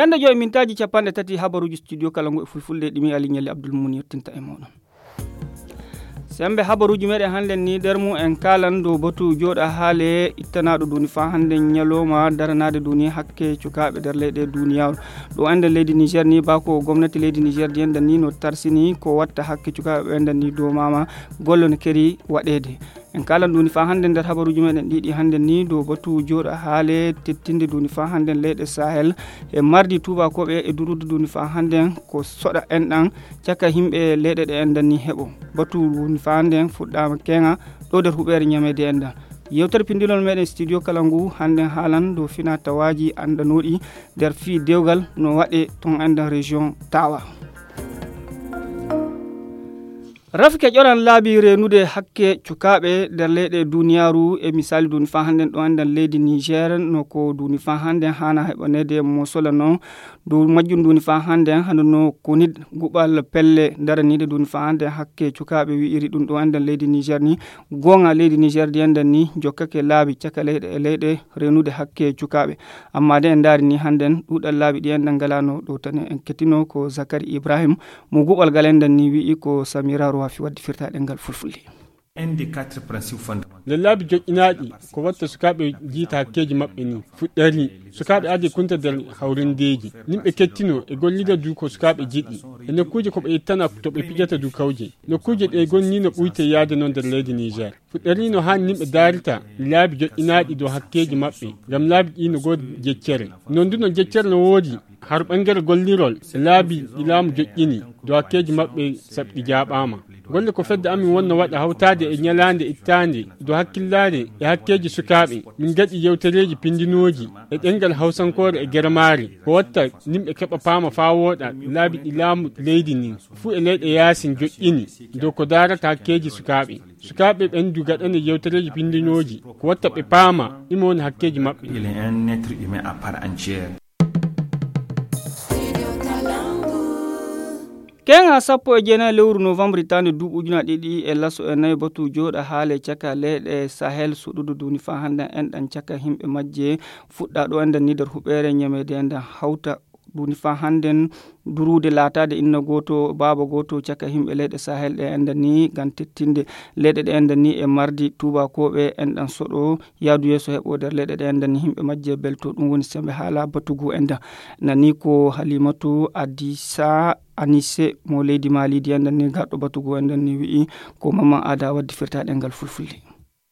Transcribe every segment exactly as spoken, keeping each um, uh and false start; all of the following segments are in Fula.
Ende joyi mintaaji capanɗe tati habaruuji studio kala ngu e fulfulde ɗimi Ali Ñalli Abdul Mun yettinta e mooɗon. Sembe habaruuji meɗen hannden ni nder mum en kaalan dow batu jooɗa haale ittanaaɗo duni faa hannden ñalooma daranaade duni hakke cukaaɓe nder leyɗe duniyaaru. Ɗo enden leydi Niger ni bako gomnati leydi Niger di enden ni no tarsini ko watta hakke cukaaɓe ɓe enden ni dow mama golle no keri waɗeede. En kaalan duni faa hannden nder habaruuji meɗen ɗiɗi hannden ni dow batu jooɗa haale tettinde duni faa hannden leyɗe Sahel e mardi tuubakooɓe e durude duni faa hannden ko soɗa enɗan caka yimɓe leyɗe ɗe enɗan ni heɓo. Batu duni faa hannden fuɗɗaama keŋa ɗo nder huɓeere ñameede enɗan. Yewtere pindinol meɗen studio kala ngu hannden haalan dow fina tawaaji anndanooɗi nder fii dewgal no waɗe ton enɗan région Tawa. Rafike ƴoran laabi reenude hakke cukaaɓe nder leyɗe duniyaaru e misaali duni faa hannden ɗo enɗan leydi Niger no ko duni faa hannden haana heɓaneede mosola non. Dow majjum duni faa hannden hano no konid guɓal pelle daraniiɗe duni faa hannden hakke cukaaɓe wi'iri ɗum ɗo enɗan leydi Niger ni. Goonga leydi Niger di enɗan ni jokkake laabi caka leyɗe e leyɗe reenude hakke cukaaɓe. Amma de en ndaari ni hannden ɗuuɗal laabi ɗi enɗan ngalano ɗo tan en kettino ko Zakari Ibrahim mo guɓal gal enɗan ni wi'i ko Samira Rowafi waddi firtaaɗe ngal fulfulde. Nder laabi joƴƴinaaɗi ko watta sukaaɓe jiita hakkeeji maɓɓe ni fuɗɗari sukaaɓe adi kunta nder hawrindeeji. Nimɓe kettino e gollida du ko sukaaɓe jiɗɗi e nokkuuje ko ɓe ittana to ɓe pijata du kawje. Nokkuuje ɗe gonni no ɓuyte yaade noon nder leydi Niger. Fuɗɗari no haani nimɓe daarita laabi joƴƴinaaɗi dow hakkeeji maɓɓe ngam laabi ɗi no goodi jeccere. Noon du no jeccere no woodi har ɓangere gollirol e laabi ɗi laamu joƴƴini dow hakkeeji maɓɓe saɓi ɗi jaaɓaama. Golle ko fedde amin wonno waɗa hawtaade e ñalaande ittaande dow hakkillaade e hakkeeji sukaaɓe. Min gaɗi yewtereeji pindinooji e ɗengal hawsankoore e germaari ko watta nimɓe keɓa paama faa wooɗa laabi ɗi laamu leydi ndin fuu e leyɗe yaasin joƴƴini dow ko daarata hakkeeji sukaaɓe. Sukaaɓe ɓen du gaɗane yewtereeji pindinooji ko watta ɓe paama ɗimo woni hakkeeji maɓɓe. Keŋa sappo e jeenayi lewru novembre hitaande duuɓi ujunaaji ɗiɗi e laso e nayi batu jooɗa haale caka leyɗe Sahel suɗudu duni faa hannden enɗan caka yimɓe majje fuɗɗa ɗo enɗan ni nder huɓeere ñameede enɗan hawta duni faa hannden duruude laataade inna gooto baaba gooto caka yimɓe leyɗe Sahel ɗe enɗan ni ngam tettinde leyɗe ɗe enɗan ni e mardi tuubakooɓe enɗan soɗo yaadu yeeso heɓo nder leyɗe ɗe enɗan ni yimɓe majje belto ɗum woni sembe haala batugu enɗan nani ko Halimatu Adisa Anise mo leydi Mali di enɗan ni garɗo batugu enɗan ni wi'i ko Mamman Ada waddi firtaaɗe ngal fulfulde.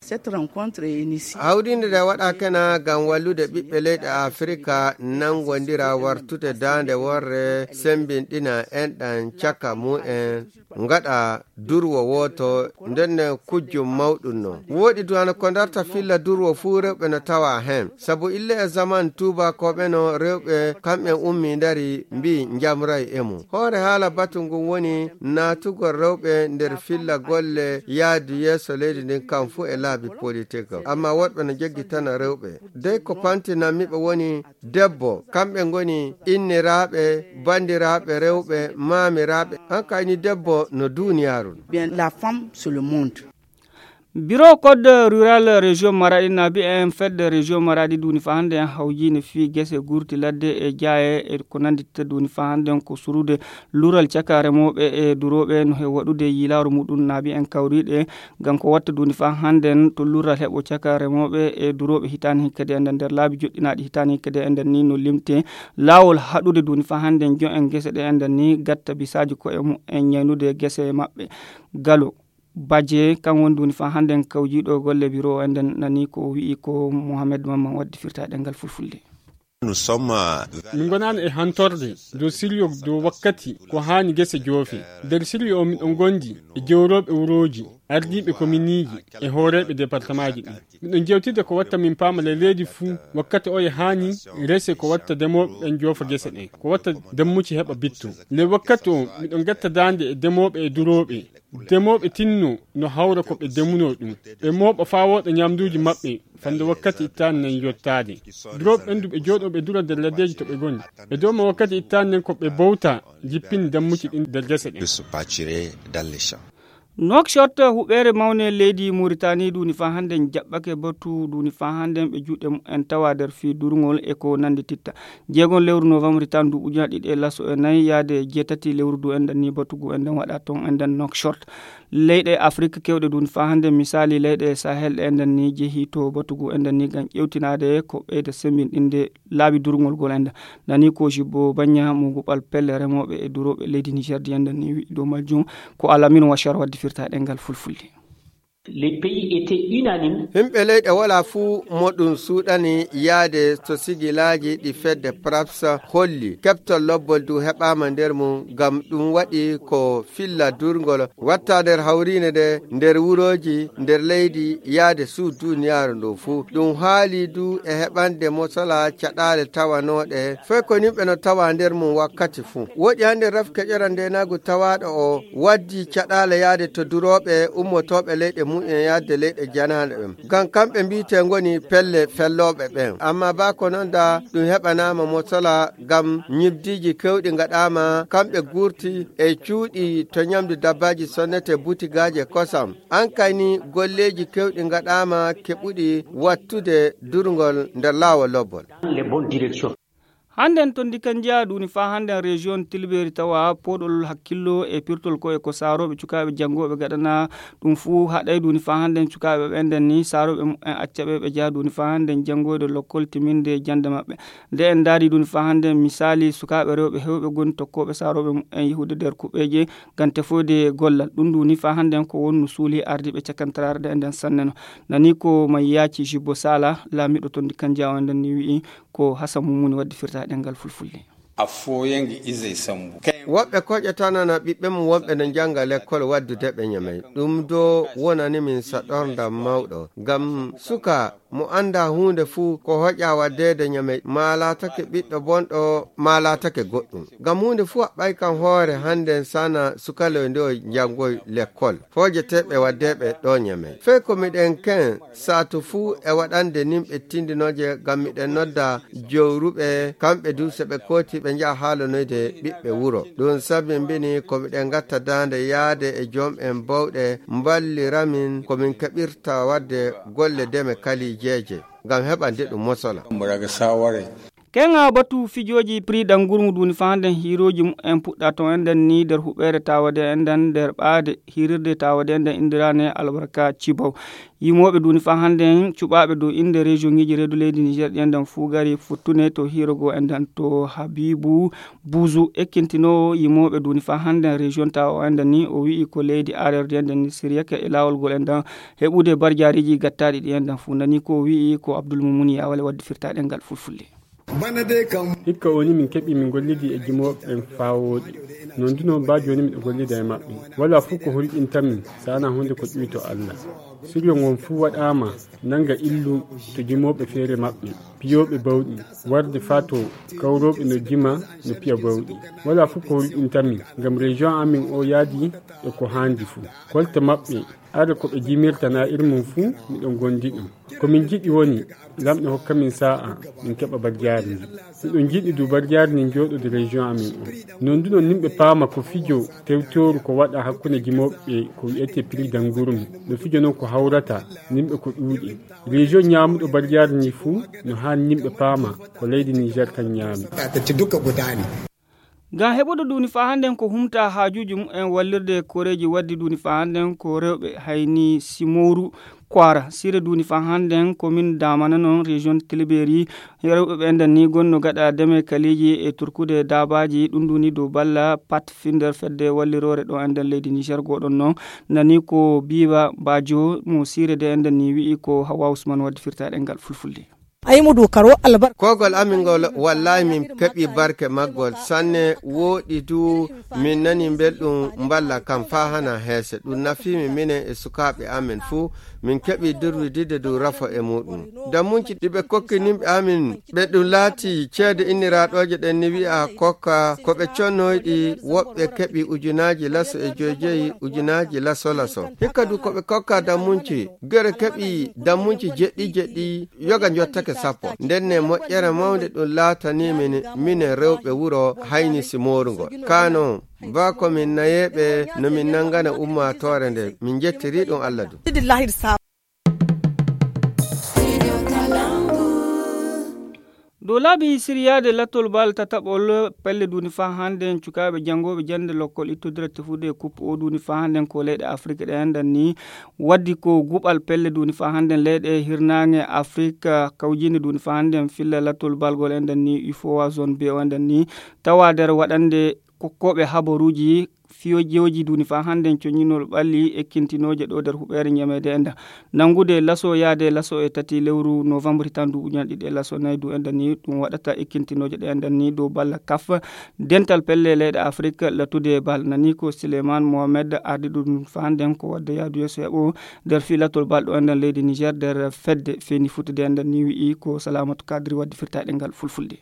Cette rencontre est initiée. Hawrinde nde waɗa kena ngam wallude ɓiɓɓe leyɗe Afirka nanngondira wartude daande worre sembinɗina enɗan caka mumen ngaɗa durwo wooto ndenne kujjum mawɗum non. Woɗi duwana ko darta filla durwo fuu rewɓe no tawa heen. Sabu ille e zaman tuubakooɓe no rewɓe kamɓe ummi ndari mbi njamray e mum. Hoore haala batu ngun woni naatugol rewɓe nder filla golle yaadu yeeso leydi ndin kam fuu e laabi politik. Amma woɗɓe no jeggitana rewɓe. Dey ko pantinammi ɓe woni debbo, kamɓe ngoni inniraaɓe, banndiraaɓe rewɓe, maamiraaɓe. An kayni debbo no duuniyaaru. Bien, la femme sur le monde. Biro code rural région Maradi naabi en fedde région Maradi duni fa hannde en hawjiine fii gese gurti ladde e jaaye e ko nanndita duni fa hannde en ko surude lural caka remooɓe e durooɓe no he waɗude yilaaru muɗum naabi en kawriiɗe ngam ko watta duni fa hannde en to lural heɓo caka remooɓe e durooɓe hitaani hikkade enden nder laabi joɗɗinaaɗi hitaani hikkade enden ni no limte laawol haɗude duni fa hannde en jo en gese ɗe enden ni gatta bisaaji koye mum en ñaynude gese maɓɓe. Galo Baje kan woni duni fa hannde en kawjiiɗo golle biro o enden nani ko wi'i ko Mohamed Mamman waddi firta ɗengal fulfulde. Min ngonaano e hantorde dow siryo dow wakkati ko haani gese joofe. Nder siryo o miɗon ngondi e jewrooɓe wurooji, ardiiɓe kominiiji e hooreeɓe departamaaji ɗin. Miɗon jewtida ko watta min paama le leydi fuu wakkati oye haani rese ko watta demooɓe ɓen joofa gese ɗen, ko watta dammuci heɓa bitto. Le wakkati o miɗon gatta daande e demooɓe e durooɓe. Demooɓe tinno no hawra ko ɓe demunoo ɗum. Ɓe mooɓa faa wooɗa ñamduuji maɓɓe fande wakkati ittaani nen yottaade. Durooɓe ɓen du ɓe jooɗoo ɓe dura nder laddeeji to ɓe ngoni. Ɓe dooma wakkati ittaani nen ko ɓe bowta jippini dammuci ɗin nder gese ɗen. Nouakchott, huɓeere mawne leydi Mauritanie, duuni faa hannden jaɓɓake batu, duuni faa hannden ɓe juuɗe mumen tawa nder fii durngol e ko nanndi titta. Jeegon lewru novembre tan du ujunaaji ɗiɗi e laso e nayi yaade jeetati lewru du enɗan ni batugu enɗan waɗa ton enɗan Nouakchott. Leyɗe Afrik kewɗe duuni faa hannden, misaali leyɗe Sahel ɗe enɗan ni jehi to batugu enɗan ni ngam ƴewtinaade ko ɓeyda semmbinɗinde laabi durngol gol enɗan. Nani ko Jibbo Banya mo guɓal pelle remooɓe e durooɓe leydi Niger di enɗan ni wi'i dow majjum. Ko Alamin Washar waddi firta ɗengal fulfulde. Les pays étaient unanimes. Himɓe leyɗe wala fuu mo ɗum suuɗani yaade to sigilaaji ɗi fedde praps holli keɓtol lobbol du heɓaama nder mum, ngam ɗum waɗi ko filla durngol watta nder hawriine nde, nder wurooji, nder leydi, yaade suu duniyaaru ndu fuu. Ɗum haali du e heɓande mosola caɗaale tawanooɗe, fay ko nimɓe no tawa nder mum wakkati fuu. Woɗi hannde raf keƴora ndeenaagu tawaaɗo o waddi caɗaale yaade to durooɓe ummotooɓe leyɗe mumen yaade leyɗe janaaɗe ɓen. Ngam kamɓe mbiyetee ngoni pelle fellooɓe ɓen. Amma baa ko non da ɗum heɓanaama mosola ngam ñibdiiji kewɗi ngaɗaama kamɓe gurti e cuuɗi to ñamdu dabbaaji sonnete butigaaji e kosam. An kay ni golleeji kewɗi ngaɗaama keɓuɗi wattude durngol nder laawol lobbol. Dans les bonnes directions. Hannden to ndi kan jeyaa ɗuni faa hannden région Tilberi tawa pooɗol hakkillo e pirtol ko e ko saarooɓe cukaaɓe janngooɓe gaɗana ɗum fuu haɗay ɗuni faa hannden cukaaɓe ɓen nden ni saarooɓe mumen acca ɓe ɓe jeyaa ɗuni faa hannden janngoyde lokkol timinde jannde maɓɓe. Nde en ndaari ɗuni faa hannden misaali sukaaɓe rewɓe hewɓe ngoni tokkooɓe saarooɓe mumen yahude nder kuɓeeje ngam tefoyde gollal. Ɗum ɗuni faa hannden ko wonno suuli ardiiɓe cakantaraare ɗe nden sanne no. Nani ko Mayyaaci Jibbo Sala, laamiiɗo to ndi kan jeyaa on nden ni wi'i, ko Hasan Mumuni waddi firta ɗengal fulfulde. A fooyange izey sambu. Woɓɓe koƴatanana ɓiɓɓe mum wonɓe no njannga lekkol waddude ɓe ñamey. Ɗum do wonani min saɗorndam mawɗo. Ngam suka mo annda huunde fuu ko hoƴa waddeede ñamey, maa laatake ɓiɗɗo bonɗo, maa laatake goɗɗum. Ngam huunde fuu haɓɓay kam hoore hannden sana sukaloy nde o njanngoy lekkol. Foojeteeɓe waddeeɓe ɗo ñamey. Fey ko miɗen ken saatu fuu e waɗande nimɓe tindinooje ngam miɗen nodda jowruɓe, kamɓe du so ɓe kooti ɓe njaha haalanoyde ɓiɓɓe wuro. Ɗum sabimbini ko miɗen ngatta daande yaade e joom'en bawɗe mballiramin ko min keɓirta waɗde golle deme kalijeeje ngam heɓande ɗum mosola. Muraga saware. Keŋa batu fijooji prix ɗan gurmu duni faa hannden hiirooji mumen puɗɗa ton enɗan ni nder huɓeere taawade enɗan nder ɓaade hiirirde taawade enɗan inndiraane albarka cibaw. Yimooɓe duni faa hannden cuɓaaɓe dow innde région ŋiiji reedu leydi Niger ɗi enɗan fuu gari futtune to hiirogoo enɗan to Habibu Buzu ekkintinoowo yimooɓe duni faa hannden région tawa o enɗan ni o wi'i ko leydi arer ɗi enɗan ni siriyake e laawol ngol enɗan heɓude barjaariiji gattaaɗi ɗi enɗan fuu nani ko o wi'i ko Abdul Mumuni Yawale waddi firta ɗengal fulfulde. Bana dey kam. Hikka woni min keɓi min gollidi e jimooɓe ɓen faa wooɗi. Non du non baa jooni miɗo gollida e maɓɓe. Walaa fuu ko hulɓinta min, si wanaa huunde ko ƴuwi to Allah. Siryo ngon fuu waɗaama nanga illu to jimooɓe feere maɓɓe, piyooɓe bawɗi, warde faa to kawrooɓe no jima no piya bawɗi. Walaa fuu ko hulɓinta min, ngam région amin o yaadi e ko haandi fuu. Kolte maɓɓe, are ko ɓe jimirta na ir mum fuu, miɗon gondi ɗum. Ko min njiɗi woni, Laamɗo hokka min saa'a, min keɓa barjaari ndin. Miɗon njiɗi du barjaari ndin jooɗoda région amin o. Non du non nimɓe paama ko fijo tewtooru ko waɗa hakkunde jimooɓe ko wi'etee prix d'engrais. No fijo non ko hawrata nimɓe ko ɗuuɗi. Région ñaamuɗo barjaari ndin fuu no haani nimɓe paama ko leydi Niger kan ñaami. Ngam heɓude duuni faa hannden ko humta haajuuji mumen wallirde koreeji waddi duuni faa hannden ko rewɓe hayni Simooru Kwaara. Sire duuni faa hannden ko min daamana non région Tiliberi. Rewɓe ɓe enɗan ni gonno gaɗa deme kaliiji e turkude daabaaji ɗum duuni dow balla pat finder fedde walliroore ɗo enɗan leydi Niger goɗon non. Nani ko Biba Bajo mo sire de enɗan ni wi'i ko Hawa Usman waddi firta ɗengal fulfulde. Ay mo du karo albar. Kogol amin ngol wallahi min keɓi barke maggol sanne wooɗi du min nani belɗum mballa kam faa hana heese. Ɗum nafiimi minen e sukaaɓe amin fuu. Min keɓi durwidide du rafo e muɗum. Dammunci ɗi ɓe kokki nimɓe amin ɓe ɗum laati ceede inniraaɗooje ɗen ni wi'a kokka ko ɓe connoyɗi woɓɓe keɓi ujunaaji laso e joy joyi ujunaaji laso laso. Hikka du ko ɓe kokka dammunci gere keɓi dammunci jeɗɗi jeɗɗi yoga jottake. sappo. Ndenne moƴƴere mawnde ɗum laatanii min, minen rewɓe wuro Haynisi Moorungol. Kaa noon, baa ko min nayeeɓe no min nanngana ummaatoore nde. Min njettirii ɗum Allah du. Dow laabi siryaade lattol bal tataɓol pelle duuni faa hannden cukaaɓe janngooɓe jannde lokkol ittodira tefude kup o duuni faa hannden ko leyɗe Afrik ɗe anndan ni. Waddi ko guɓal pelle duuni faa hannden leyɗe hirnaange Afrik kawjiinde duuni faa hannden filla lattol balgol enɗan ni ufowa zone B o enɗan ni tawa nder waɗande kokkooɓe habaruuji fiyojooji duuni faa hannden coñinol ɓalli ekkintinooje ɗo nder huɓeere ñameede enɗan. Nanngude laso yaade laso e tati lewru novembre hitaan duuɓi ujunaaji ɗiɗi e laso nayi du enɗan ni ɗum waɗata ekkintinooje ɗe enɗan ni dow balla kaf dental pelle leyɗe Afrik lattude bal nani ko Suleiman Mohamed ardi ɗum faa hannden ko wadde yaadu yeeso heɓo nder filatol bal ɗo enɗan leydi Niger nder fedde feeni futude enɗan ni wi'i ko Salamatu Kadri waddi firtaɗe ngal fulfulde.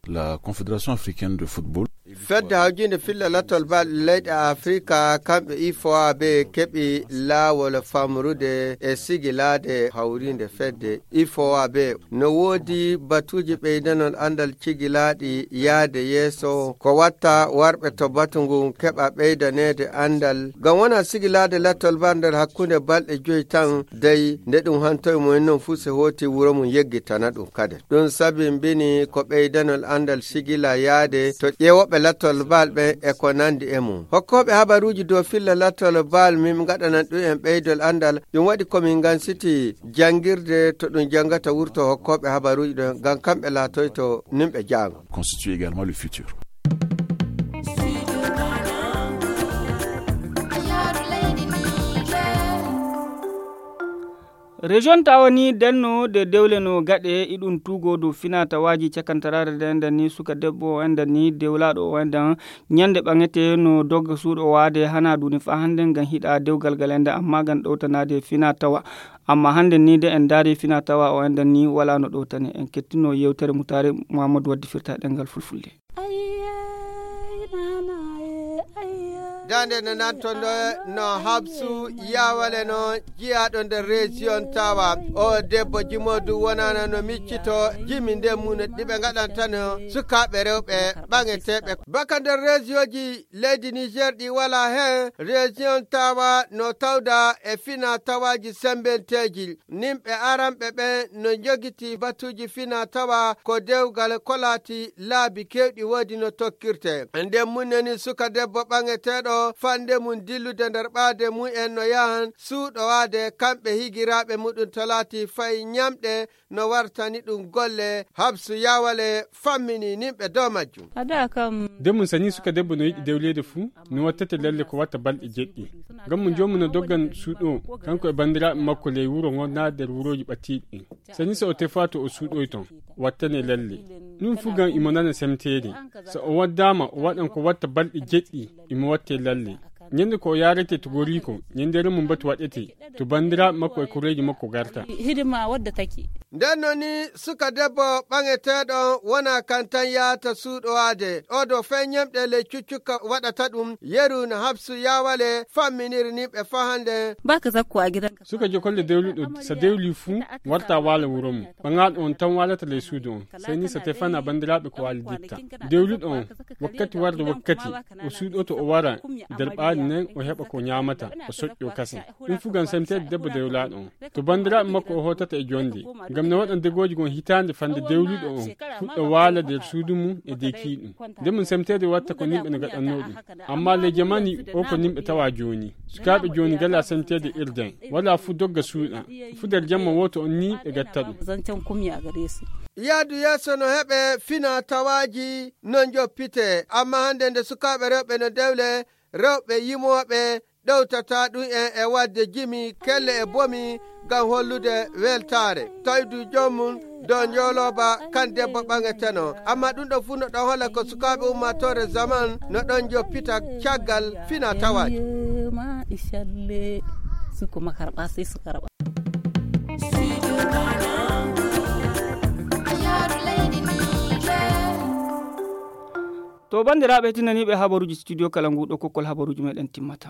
La Confédération Africaine de Football. Fedde hawjinde filla lattol bal leyɗe Afrika kamɓe ifowa be keɓi laawol famrude e sigilaade hawrinde fedde ifowa be no woodi batuuji ɓeydanol anndal cigilaaɗi yaade yeeso ko watta warɓe to batu ngun keɓa ɓeydaneede anndal ngam wona sigilaade lattol bal nder hakkunde balɗe joyi tan dey nde ɗum hantoye mumen noon fuu se hooti wuro mum yeggitana ɗum kade. Ɗum sabimbini ko ɓeydanol anndal sigila yaade to ƴeewooɓe lattol bal ɓen e ko nanndi e mum. Hokkooɓe habaruuji dow filla lattol bal min ngaɗanan ɗum en ɓeydol anndal. Ɗum waɗi ko min ngansiti janngirde to ɗum janngata wurto hokkooɓe habaruuji ɗon ngam kamɓe laatoyto nimɓe jaango. Constitue également le futur. Région tawa ni denno de dewle no gaɗe iɗum tugo dow fina tawaji cakantaraare de enɗan ni suka debbo o enɗan ni dewlaɗo o enɗan ñande ɓaŋete no dogga suuɗo waade hana duni fa hande ngam hiɗa dewgal gal enɗan amma ngam ɗowtanade fina tawa. Amma hande ni de en daari fina tawa o enɗan ni wala no ɗowtane. En kettino yewtere mutare Muhammadu waddi firta ɗengal fulfulde. Dande no nanton ɗo no habsu yawale no jiyaɗo nder région tawa. O debbo jimodu wonana no miccito jimi nden mum no ɗiɓe ngaɗantano sukaɓe rewɓe ɓaŋeteɓe baka nder région ji leydi Niger ɗi wala hen. Région tawa no tawda e fina tawaji sembenteji. Nimɓe aranɓe ɓen no njogiti batuuji fina tawa ko dewgal ko laati laabi keewɗi woodi no tokkirte. Nden mum neni suka debbo ɓaŋeteeɗo fande mum dillude nder ɓaade mum en no yahan suuɗowaade kamɓe higiraaɓe muɗum to laati fay ñamɗe no wartani ɗum golle. Habsu yawale fammini nimɓe dow majjum. Nden mum sani suka debbo no yiɗi dewleede fuu no wattete lalle ko watta balɗe jeɗɗi. Ngam mo joomu no doggan suuɗo kanko e banndiraaɓe makko ley wuro ngon naa nder wurooji ɓattiiɗi ɗin. Sani so o tefaa to o suuɗoy ton wattane lalle. Ɗum fuu ngam imo nana semteede. So o waddaama o waɗan ko watta balɗe jeɗɗi imo watte lalle. Ñande ko o yaarete to goriiko ñande remo mbatu waɗete to banndiraaɓe makko e koreeji makko garta. Hidima wadda taki. Nden no ni suka debbo ɓaŋeteeɗo wona kan tan yahata suuɗowaade oɗo fay ñemɗe ley cuccukka waɗata ɗum yeru no habsu yawale famminiri ni ɓe fahande. Baka zakko a gidan suka jokolle dewluɗo so dewli fuu warta waala wuro mum. Ɓaŋaaɗo on tan waalata ley suudu on sey ni so tefana banndiraaɓe ko waali ditta. Dewluɗo on wakkati warde wakkati o suuɗoto o wara nder ɓaali nden o heɓa ko ñaamata o soƴƴo kasen. Ɗum fuu ngam semteede debbo dewlaaɗo on to banndiraaɓe makko o hootata e jonde ngam no waɗan degooji gon hitaande fande dewluɗo on fuɗɗa waala nder suudu mum e dekiiɗum. Nde mum semteede watta ko nimɓe no gaɗannoo ɗum. Amma ley jamani o ko nimɓe tawa jooni sukaaɓe jooni ngala semteede irden wala fuu dogga suuɗa fuu nder jamma wooto on ni ɓe gatta ɗum. Yaadu yeeso no heɓe fina tawaaji no njoppite amma hannde nde sukaaɓe rewɓe no dewle rewɓe yimooɓe ɗowtata ɗum en e waɗde jimi kelle e bomi ngam hollude weltaare tawdu joom mum dow njoolooba kan debbo ɓaŋeteno. Amma ɗum ɗo fuu no ɗon hola ko sukaaɓe ummaatoore zaman no ɗon njoppita caggal fina tawaaji. Suko makarɓa sey sukarɓa. To banndiraaɓe tinaniiɓe habaruuji studio kala nguuɗo kokkol habaruuji meɗen timmata.